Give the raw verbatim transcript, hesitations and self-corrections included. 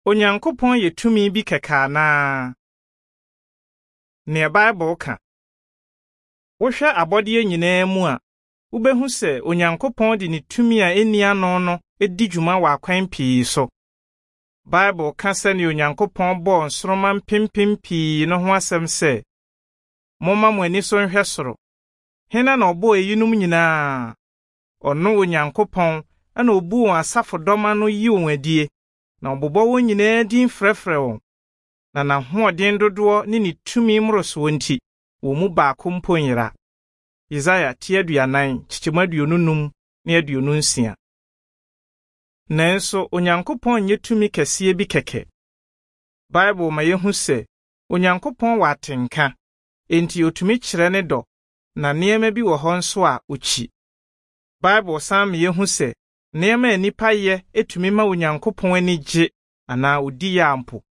Onyankopɔn yɛ tumi bi kɛkɛ anaa? Nea Bible ka. Wohwɛ abɔdeɛ nyinaa mu a, wubehu sɛ Onyankopɔn de ne tumi a enni ano no di dwuma wɔ akwan pii so. Bible ka sɛnea Onyankopɔn bɔɔ nsoromma mpempem pii no ho asɛm sɛ, "Momma mo ani so nhwɛ soro. Hena na ɔbɔɔ eyinom nyinaa? Ɔno Onyankopɔn na obu wɔn asafodɔm ano yi wɔn adie, na ɔbobɔ wɔn nyinaa din frɛfrɛ wɔn. Na n'ahoɔden dodoɔ ne ne tumi mmorosoɔ nti, wɔn mu baako mpo nyera." Yesaia ti aduanan, kyekyɛmu aduonu num ne aduonu nsia. Nanso Onyankopɔn nyɛ tumi kɛseɛ bi kɛkɛ. Bible ma yehu sɛ Onyankopɔn wɔ atenka, enti otumi kyerɛ ne dɔ, na nneɛma bi wɔ hɔ nso a okyi. Bible san ma yehu sɛ nneɛma a nnipa yɛ tumi ma Onyankopɔn ani gye anaa odi yaw mpo.